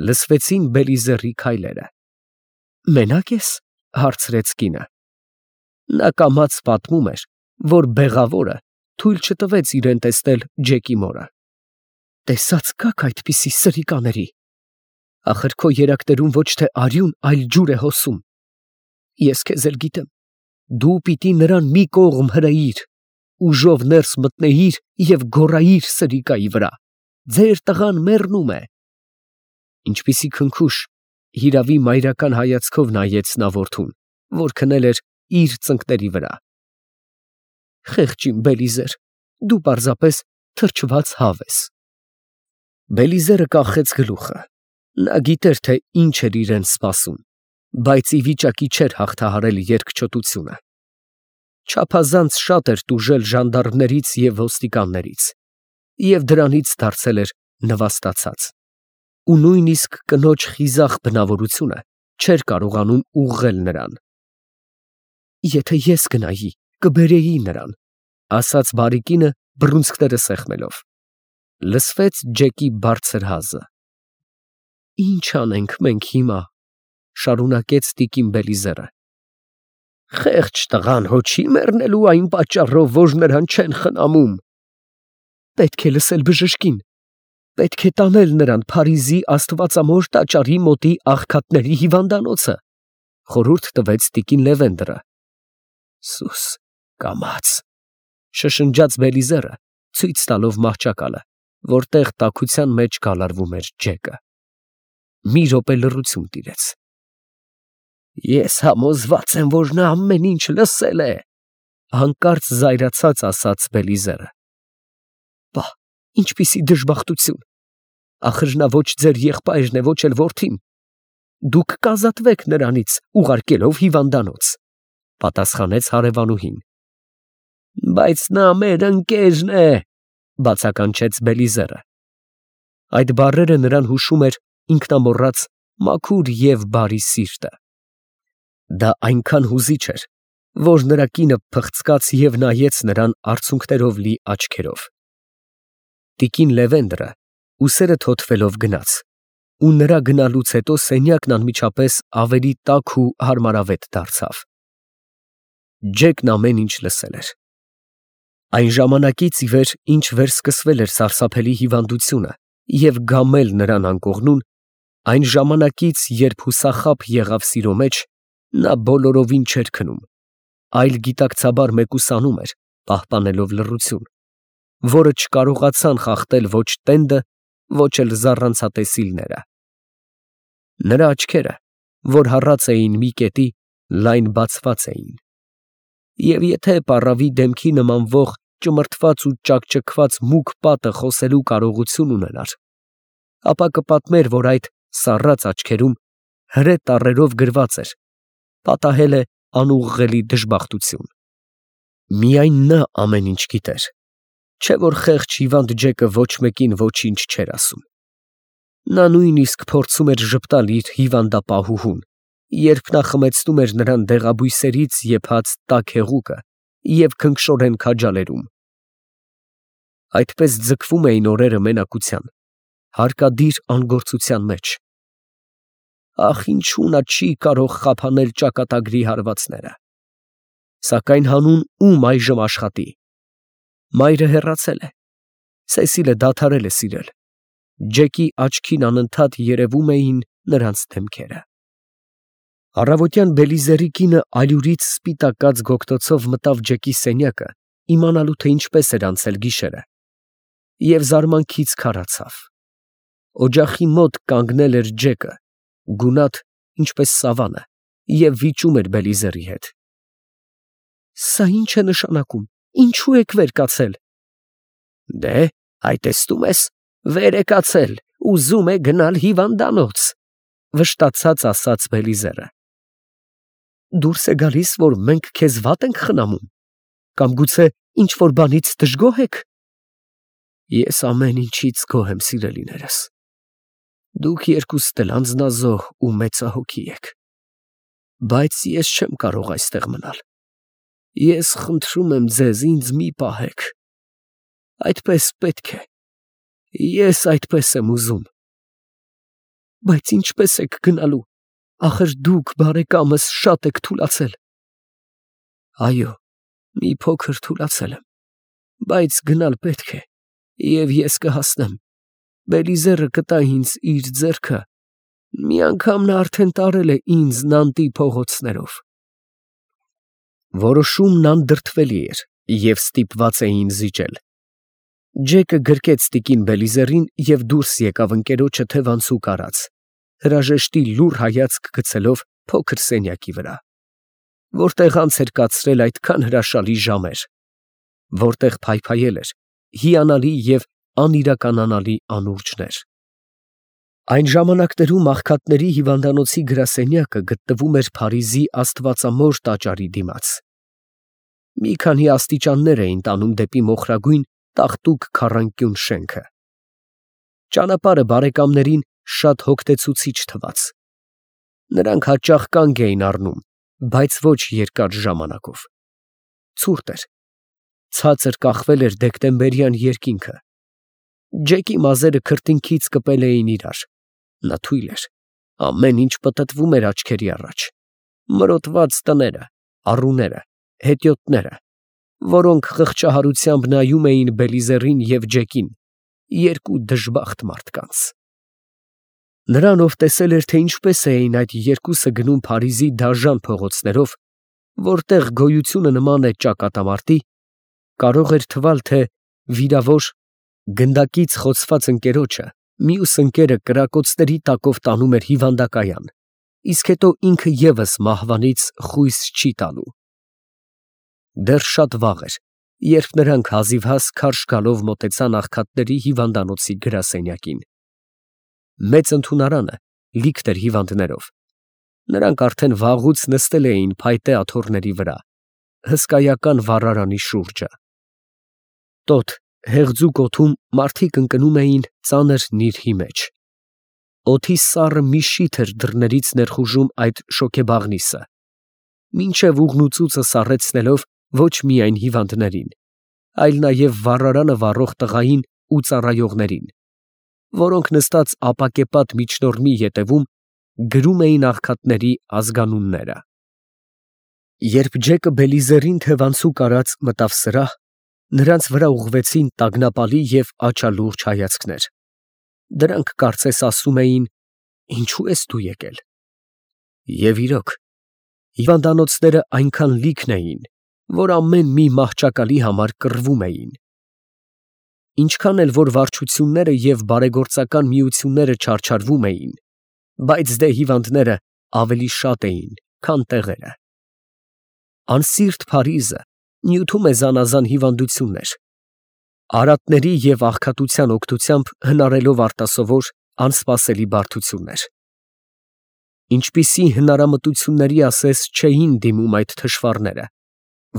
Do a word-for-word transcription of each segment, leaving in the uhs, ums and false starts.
Լսվեցին Բելիզերի քայլերը։ Մենա՞կ ես, հարցրեց կինը։ Նա կամաց պատմում էր, որ բեղավորը թույլ չտվեց իրեն տեսնել Ջեկի մորը։ Տեսած կաք այդպիսի սրիկաների։ Ախր քո երակներում ոչ թե արյուն, այլ ջուր է հոսում։ Ես քեզ էլ գիտեմ։ Դու պիտի նրան մի կողմ հրեիր, ուժով ներս մտնեիր և գոռայիր սրիկայի վրա. ձեր տղան մեռնում է։ Ինչպիսի քնքուշ, հիրավի մայրական հայացքով նայեց նա որդուն, որ քնել էր իր ծնկների վրա։ Խեղճ իմ Բելիզեր, դու պարզապես թրջված հավ ես։ Բելիզերը կախեց գլուխը։ Նա գիտեր, թե ինչ էր իրեն սպասում, բայց ի վիճակի չէր հաղթահարել երկչոտությունը։ Չափազանց շատ էր տուժել ժանդարմներից և ոստիկաններից, և դրանից դարձել էր նվաստացած, ու նույնիսկ կնոջ խիզախ բնավորությունը չէր կարողանում ուղղել նրան։ Եթե ես գնայի, կբերեի նրան, ասաց բարի կինը բռունցքները սեղմելով։ Լսվեց Ջեկի բարձր հազը։ Ի՞նչ անենք մենք հիմա, շարունակեց տիկին Բելիզերը։ Խեղճ տղան հո չի մեռնելու այն պատճառով, որ նրան չեն խնամում։ Պետք է լսել բժշկին, պետք է տանել նրան Փարիզի Աստվածամոր տաճարի մոտի աղքատների հիվանդանոցը, խորհուրդ տվեց տիկին Լևենդրը։ Սուս կամաց, շշնջաց Բելիզերը, ցույց տալով մահճակալը, որտեղ տաքության մեջ գալարվում էր Ջեկը։ Մի րոպե լռություն տիրեց։ Ես համոզված եմ, որ նա ամեն ինչ լսել է, հանկարծ զայրացած ասաց Բելիզերը։ Պա, ինչպիսի դժբախտություն, ախր նա ոչ ձեր եղբայրն է, ոչ էլ որդին։ Դուք կազատվեք նրանից, ուղարկելով հիվանդանոց, պատասխանեց հարևանուհին։ Բայց նա մեր ընկերն է, բացականչեց Բելիզերը։ Այդ բառերը նրան հուշում էր ինքնամոռաց մաքուր և բարի սիրտը։ Դա այնքան հուզիչ էր, որ նրա կինը փղծկաց և նայեց նրան արցունքներով լի աչքերով։ Տիկին Լևենդրը ուսերը թոթվելով գնաց, ու նրա գնալուց հետո սենյակն անմիջապես ավելի տաք ու հարմարավետ դարձավ։ Ջեկն ամեն ինչ լսել էր։ Այն ժամանակից ի վեր, ինչ վերսկսվել էր սարսափելի հիվանդությունը և գամել նրան անկողնուն, այն ժամանակից, երբ հուսախաբ եղավ սիրո մեջ, նա բոլորովին չէր քնում, այլ գիտակցաբար մեկուսանում էր, պահպանելով լռություն, որը չկարողացան խախտել ոչ տենդը, ոչ էլ զառանցատեսիլները։ Նրա աչքերը, որ հառած էին մի կետի, լայն բացված էին, և եթե պառավի դեմքի նմանվող ճմրթված ու ճաքճքված մուգ պատը խոսելու կարողություն ունենար, ապա կպատմեր, որ այդ սառած աչքերում հրե տառերով գրված էր. պատահել է անուղղելի դժբախտություն։ Միայն նա ամեն ինչ գիտեր, չէ՞ որ խեղճ հիվանդ Ջեկը ոչ մեկին ոչինչ չէր ասում։ Նա նույնիսկ փորձում էր ժպտալ իր հիվանդապահուհուն, երբ նա խմեցնում էր նրան դեղաբույսերից եփած տաք հեղուկը և քնքշորեն քաջալերում։ Այդպես ձգվում էին օրերը մենակության, հարկադիր անգործության մեջ։ Ախ, ինչու նա չի կարող խափանել ճակատագրի հարվածները։ Սակայն հանուն ում այժմ աշխատի։ Մայրը հեռացել է, Սեսիլը դադարել է սիրել, Ջեկի աչքին անընդհատ երևում էին նրանց դեմքերը։ Առավոտյան Բելիզերի կինը ալյուրից սպիտակած գոգտոցով մտավ Ջեկի սենյակը, իմանալու, թե ինչպես էր անցել գիշերը, և զարմանքից քարացավ։ Օջախի մոտ կանգնել էր Ջեկը, գունատ, ինչպես սավանը, և վիճում էր Բելիզերի հետ։ Սա ի՞նչ է նշանակում, ինչու եք վեր կացել։ Դե, այ տեսնում ես, վեր է կացել, ուզում է գնալ հիվանդանոց, վշտացած ասաց Բելիզերը։ Դուրս է գալիս, որ մենք քեզ վատ ենք խնամում, կամ գուցե ինչ-որ բանից դժգոհ եք։ Ես ամեն ինչից գոհ եմ, սիրելիներս։ Դուք երկուստ էլ անձնազոհ ու մեծահոգի եք, բայց ես չեմ կարող այստեղ մնալ։ Ես խնդրում եմ ձեզ, ինձ մի պահեք։ Այդպես պետք է։ Ես այդպես եմ ուզում։ Բայց ինչպես եք գնալու, ախր դուք բարեկամս շատ եք թուլացել։ Այո, մի փոքր թուլացել եմ, բայց գնալ պետք է, և ես կհասնեմ։ Բելիզերը կտա ինձ իր ձեռքը, մի անգամ նա արդեն տարել է ինձ Նանտի փողոցներով։ Որոշումն անդրդվելի էր, և ստիպված էին զիջել։ Ջեկը գրկեց տիկին Բելիզերին և դուրս եկավ ընկերոջը թևանցուկ արած, հրաժեշտի լուռ հայացք գցելով փոքր սենյակի վրա, որտեղ անց էր կացրել այդքան հրաշալի ժամեր, որտեղ փայփայել էր հիանալի և անիրականանալի անուրջներ։ Այն ժամանակներում աղքատների հիվանդանոցի գրասենյակը գտնվում էր Փարիզի Աստվածամոր տաճարի դիմաց։ Մի քանի աստիճաններ էին տանում դեպի մոխրագույն տաղտուկ քառանկյուն շենքը։ Ճանապարհը բարեկամներին շատ հոգնեցուցիչ թվաց։ Նրանք հաճախ կանգ էին առնում, բայց ոչ երկար ժամանակով։ Ցուրտ էր, ցածր կախվել էր դեկտեմբերյան երկինքը։ Ջեկի մազերը քրտինքից կպել էին իրար, նա թույլ էր, ամեն ինչ պտտվում էր աչքերի առաջ, մրոտված տները, առուները, հետիոտները, որոնք խղճահարությամբ նայում էին Բելիզերին և Ջեկին, երկու դժբախտ մարդկանց։ Նրան, ով տեսել էր, թե ինչպես էին այդ երկուսը գնում Փարիզի դաժան փողոցներով, որտեղ գոյությունը նման է ճակատամարտի, կարող էր թվալ, թե վիրավոր, գնդակից խոցված ընկերոջը մյուս ընկերը կրակոցների տակով տանում էր հիվանդակայան, իսկ հետո ինքը ևս մահվանից խույս չի տալու։ Դեռ շատ վաղ էր, երբ նրանք հազիվհազ քարշ գալով մոտեցան աղքատների հիվանդանոցի գրասենյակին։ Մեծ ընդունարանը լիքն էր հիվանդներով։ Նրանք արդեն վաղուց նստել էին փայտե աթոռների վրա, հսկայական վառարանի շուրջը։ Տոտ, հեղձուկ օդում մարդիկ ընկնում էին ծանր նիրհի մեջ։ Օդի սառը մի շիթ էր դռներից ներխուժում այդ շոգեբաղնիսը, մինչև ուղղնուծուծը սառեցնելով ոչ միայն հիվանդներին, այլ նաև վառարանը վառող տղային ու ծառայողներին, որոնք նստած ապակեպատ միջնորմի ետևում գրում էին աղքատների ազգանունները։ Երբ Ջեկը Բելիզերին թևանցուկ արած մտավ սրահ, նրանց վրա ուղղվեցին տագնապալի և աչալուրջ հայացքներ։ Դրանք կարծես ասում էին. «Ինչո՞ւ ես դու եկել»։ Եվ իրոք, հիվանդանոցները այնքան լիքն էին, որ ամեն մի մահճակալի համար կռվում էին։ Ինչքան էլ որ վարչությունները և բարեգործական միությունները չարչարվում էին, բայց դե հիվանդները ավելի շատ էին, քան տեղերը։ Անսիրտ Փարիզը նյութում է զանազան հիվանդություններ, արատների և աղքատության օգնությամբ հնարելով արտասովոր, անսպասելի բարդություններ։ Ինչպիսի հնարամտությունների ասես չէին դիմում այդ թշվառները,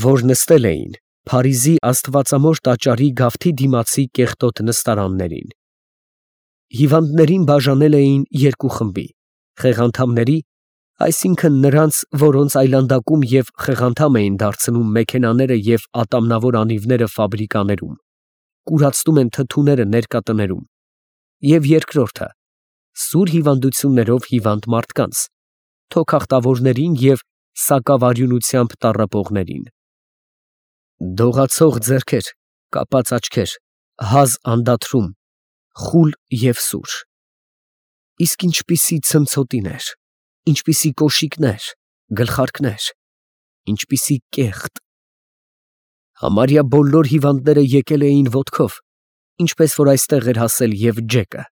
որ նստել էին Փարիզի Աստվածամոր տաճարի գավթի դիմացի կեղտոտ նստարաններին։ Հիվանդներին բաժանել էին երկու խմբի՝ խեղանդամների, այսինքն նրանց, որոնց այլանդակում և խեղանդամ էին դարձնում մեքենաները և ատամնավոր անիվները ֆաբրիկաներում, կուրացնում են թթուները ներկատներում, և երկրորդը՝ սուր հիվանդություններով հիվանդ մարդկանց, թոքախտավորներին և սակավարյունությամբ տառապողներին։ Դողացող ձեռքեր, կապած աչքեր, հազ անդադրում, խուլ և սուր։ Իսկ ինչպիսի ցնցոտիներ, ինչպիսի կոշիկներ, գլխարկներ, ինչպիսի կեղտ։ Համարյա բոլոր հիվանդները եկել էին ոտքով, ինչպես որ այստեղ էր հասել և Ջեկը։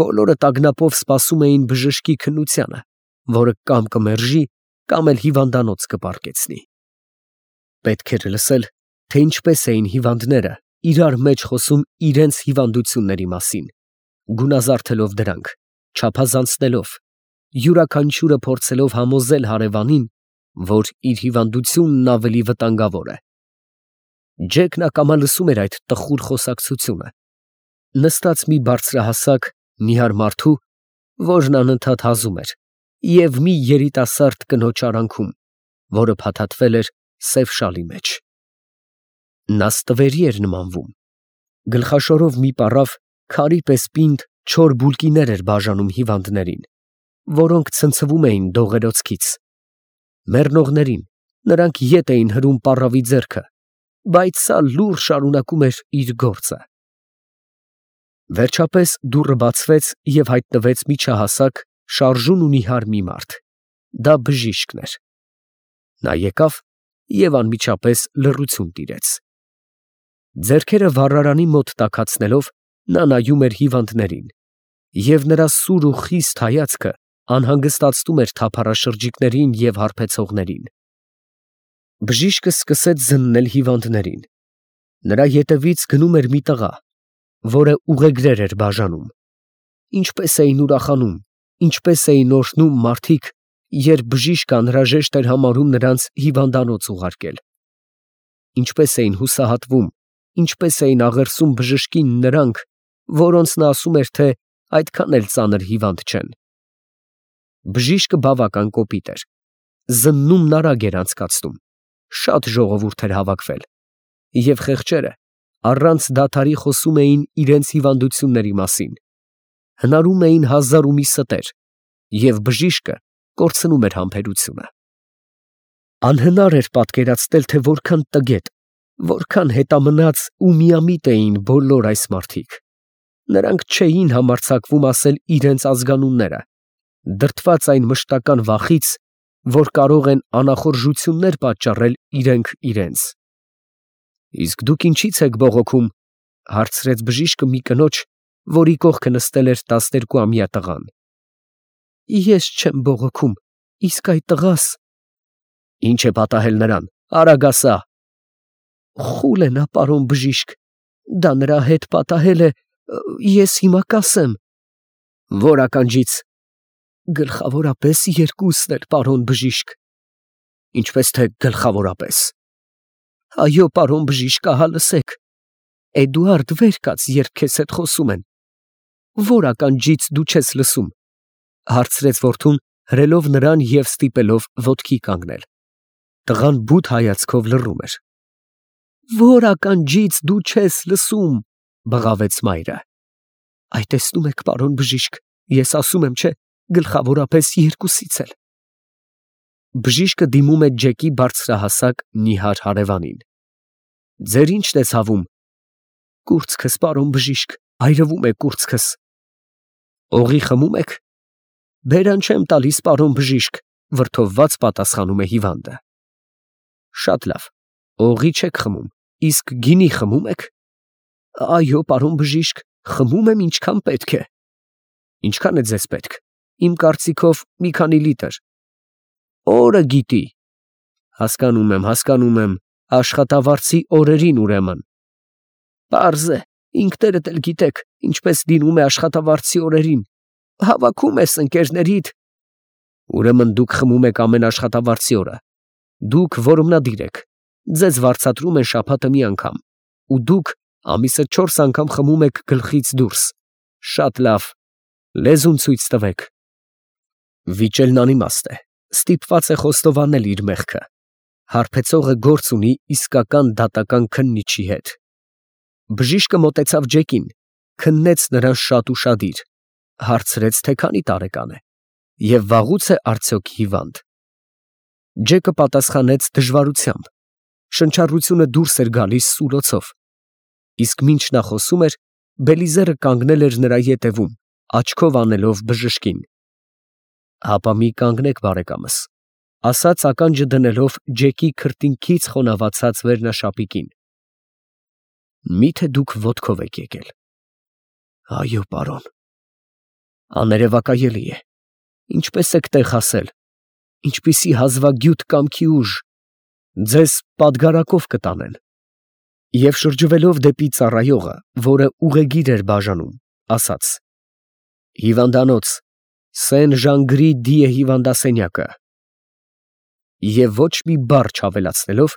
Բոլորը տագնապով սպասում էին բժշկի քննությանը, որը կամ կմերժի, կամ էլ հիվանդանոց կպառկեցնի։ Պետք էր լսել, թե ինչպես էին հիվանդները իրար մեջ խոսում իրենց հիվանդությունների մասին, գունազարդելով դրանք, չափազանցնելով, յուրաքանչյուրը փորձելով համոզել հարևանին, որ իր հիվանդությունն ավելի վտանգավոր է։ Ջեկն ակամա լսում էր այդ տխուր խոսակցությունը, նստած մի բարձրահասակ, նիհար մարդու, որն անընդհատ հազում էր, և մի երիտասարդ կնոջ արանքում, որը փաթաթվել էր սև շալի մեջ։ Նա ստվերի էր նմանվում, գլխաշորով մի պառավ, քարի պես պինդ չոր բուլկիներ էր բաժանում հիվանդներին, որոնք ցնցվում էին դողերոցքից։ Մեռնողներին նրանք ետ էին հրում պառավի ձեռքը, բայց սա լուռ շարունակում էր իր գործը։ Վերջապես դուռը բացվեց և հայտնվեց միջահասակ, շարժուն ու նիհար մի մարդ. դա բժիշկն էր։ Նա եկավ և անմիջապես լռություն տիրեց։ Ձեռքերը վառարանի մոտ տաքացնելով, նա նայում էր հիվանդներին, և նրա սուր ու խիստ հայացքը անհանգստացնում էր թափառաշրջիկներին և հարբեցողներին։ Բժիշկը սկսեց զննել հիվանդներին։ Նրա ետևից գնում էր մի տղա, որը ուղեգրեր էր բաժանում։ Ինչպես էին ուրախանում, ինչպես էին օրհնում մարդիկ, երբ բժիշկը անհրաժեշտ էր համարում նրանց հիվանդանոց ուղարկել։ Ինչպես էին հուսահատվում, ինչպես էին աղերսում բժշկին նրանք, որոնց նա ասում էր, թե այդքան էլ ծանր հիվանդ չեն։ Բժիշկը բավական կոպիտ էր, զննումն արագ էր անցկացնում, շատ ժողովուրդ էր հավաքվել, և խեղճերը առանց դադարի խոսում էին իրենց հիվանդությունների մասին, հնարում էին հազար ու մի ստեր, և բժիշկը կորցնում էր համբերությունը։ Անհնար էր պատկերացնել, թե որքան տգետ, որքան հետամնաց ու միամիտ էին բոլոր այս մարդիկ։ Նրանք չէին համարձակվում ասել իրենց ազգանունները, դրդված այն մշտական վախից, որ կարող են անախորժություններ պատճառել իրենք իրենց։ Իսկ դուք ինչի՞ց եք բողոքում, ֊ հարցրեց բժիշկը մի կնոջ, որի կողքը նստել էր տասներկուամյա տղան։ Ես չեմ բողոքում, իսկ այդ տղաս… Ինչ է պատահել նրան, արագ ասա։ Խուլ է նա, պարոն բժիշկ, դա նրա հետ պատահել է, ես հիմա կասեմ։ Ո՞ր ականջից։ Գլխավորապես երկուսն էլ, պարոն բժիշկ։ Ինչպես թե գլխավորապես։ Այո, պարոն բժիշկ, ահա լսեք։ Էդուարդ, վեր կաց, երբ քեզ հետ խոսում են։ Ո՞ր ականջից դու չես լսում, ֊ հարցրեց որդուն, հրելով նրան և ստիպելով ոտքի կանգնել։ Տղան բութ հայացքով լռում էր։ Ո՞ր ականջից դու չես լսում, ֊ բղավեց մայրը։ Այ տեսնում եք, պարոն բժիշկ, ես ասում եմ, չէ, գլխավորապես երկուսից էլ։ Բժիշկը դիմում է Ջեկի բարձրահասակ նիհար հարևանին։ Ձեր ի՞նչն է ցավում։ Կուրծքս, պարոն բժիշկ, այրվում է կուրծքս։ Օղի խմում եք։ Բերան չեմ տալիս, պարոն բժիշկ, ֊ վրդովված պատասխանում է հիվանդը։ Շատ լավ, օղի չեք խմում, իսկ գինի խմում եք։ Այո, պարոն բժիշկ, խմում եմ, ինչքան պետք է։ Ինչքան է ձեզ պետք։ Իմ կարծիքով մի քանի լիտր։ Օրը գիտի։ Հասկանում եմ, հասկանում եմ, աշխատավարձի օրերին ուրեմն։ Պարզ է, ինքներդ էլ գիտեք, ինչպես լինում է աշխատավարձի օրերին, հավաքում ես ընկերներիդ։ Ուրեմն դուք խմում եք ամեն աշխատավարձի օրը։ Դուք որմնադիր եք, ձեզ վարձատրում են շաբաթը մի անգամ, ու դուք ամիսը չորս անգամ խմում եք գլխից դուրս։ Շատ լավ, լեզուն ցույց տվեք։ Վիճելն անիմաստ է, ստիպված է խոստովանել իր մեղքը։ Հարբեցողը գործ ունի իսկական դատական քննիչի հետ։ Բժիշկը մոտեցավ Ջեկին, քննեց նրան շատ ուշադիր, հարցրեց, թե քանի տարեկան է, և վաղուց է արդյոք հիվանդ։ Ջեկը պատասխանեց դժվարությամբ, շնչառությունը դուրս էր գալիս սուլոցով, իսկ մինչ նա խոսում էր, Բելիզերը կանգնել էր նրա ետևում, աչքով անելով բժշկին։ Հապա մի կանգնեք, բարեկամս, ֊ ասաց ականջը դնելով Ջեկի քրտինքից խոնավացած վերնաշապիկին։ Մի՞թե դուք ոտքով եք եկել։ Այո, պարոն։ Աներևակայելի է։ Ինչպես եք տեղ հասել, ինչպիսի հազվագյուտ կամքի ուժ, ձեզ պատգարակով կտանեն։ Եվ շրջվելով դեպի ծառայողը, որը ուղեգիր էր բաժանում, ասաց. Հիվանդանոց, Սեն Ժանգրի դիե հիվանդասենյակը։ Եվ ոչ մի բառ չավելացնելով,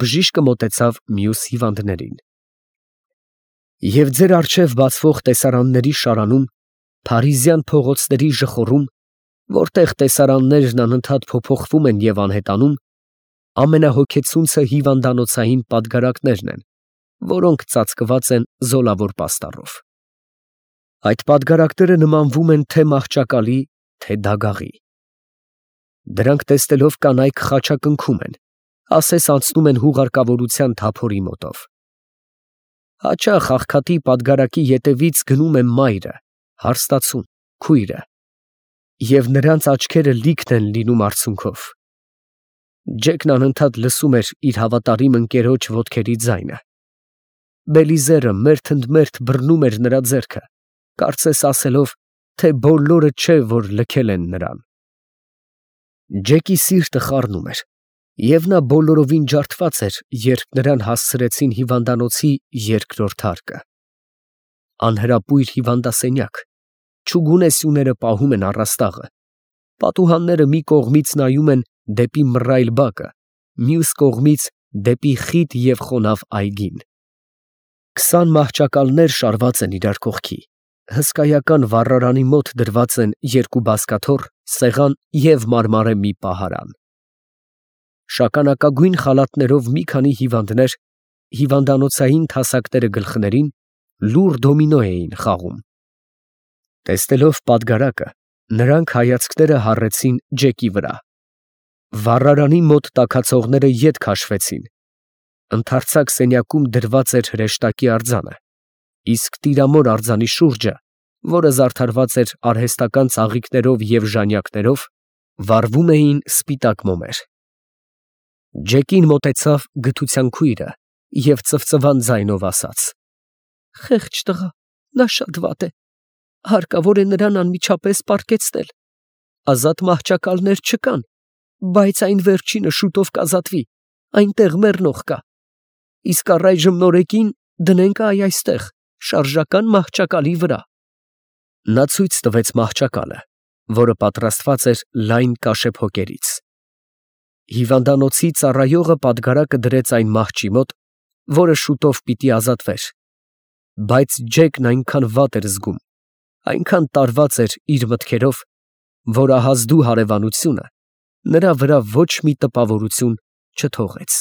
բժիշկը մոտեցավ մյուս հիվանդներին։ Եվ ձեր առջև բացվող տեսարանների շարանում, փարիզյան փողոցների ժխորում, որտեղ տեսարաններն անընդհատ փոփոխվում են և անհետանում, ամենահոգեցունցը հիվանդանոցային պատգարակներն են, որոնք ծածկված են զոլավոր պաստառով։ Այդ պատգարակները նմանվում են թե մահճակալի, թե դագաղի։ Դրանք տեսնելով կանայք խաչակնքում են, ասես անցնում են հուղարկավորության թափորի մոտով։ Հաճախ աղքատի պատգարակի ետևից գնում է մայրը, հարստացուն, քույրը, և նրանց աչքերը լիքն են լինում արցունքով։ Ջեկն անընդհատ լսում էր իր հավատարիմ ընկերոջ ոտքերի ձայնը։ Բելիզերը մերթ ընդ մերթ բռնում էր նրա ձեռքը, կարծես ասելով, թե բոլորը չէ, որ լքել են նրան։ Ջեկի սիրտը խառնում էր, և նա բոլորովին ջարդված էր, երբ նրան հասցրեցին հիվանդանոցի երկրորդ հարկը։ Անհրապույր հիվանդասենյակ, չուգունե սյուները պահում են առաստաղը, պատուհանները մի կողմից նայում են դեպի մռայլ բակը, մյուս կողմից դեպի խիտ և խոնավ այգին։ Քսան մահճակալներ շարված են իրար կողքի, հսկայական վառարանի մոտ դրված են երկու բազկաթոռ, սեղան և մարմարե մի պահարան։ Շագանակագույն խալաթներով մի քանի հիվանդներ, հիվանդանոցային թասակները գլխներին, լուռ դոմինո էին խաղում։ Տեսնելով պատգարակը, նրանք հայացքները հառեցին Ջեկի վրա։ Վառարանի մոտ տաքացողները ետ քաշվեցին։ Ընդարձակ սենյակում դրված էր հրեշտակի արձանը, իսկ տիրամոր արձանի շուրջը, որը զարդարված էր արհեստական ծաղիկներով և ժանյակներով, վառվում էին սպիտակ մոմեր։ Ջեկին մոտեցավ գթության քույրը և ծվծվան ձայնով ասաց. «Խեղճ տղա, նա շատ վատ է, հարկավոր է նրան անմիջապես պառկեցնել, ազատ մահճակալներ չկան, բայց այն վերջինը շուտով կազատվի, այնտեղ մեռնող կա, իսկ առայժմ նորեկին դնենք այ այստեղ, շարժական մահճակալի վրա»։ Նա ցույց տվեց մահճակալը, որը պատրաստված էր լայն կաշեփոկերից։ Հիվանդանոցի ծառայողը պատգարակը դրեց այն մահճի մոտ, որը շուտով պիտի ազատվեր, բայց Ջեկն այնքան վատ էր զգում, այնքան տարված էր իր մտքերով, որ ահազդու հարևանությունը նրա վրա ոչ մի տպավորություն չթողեց։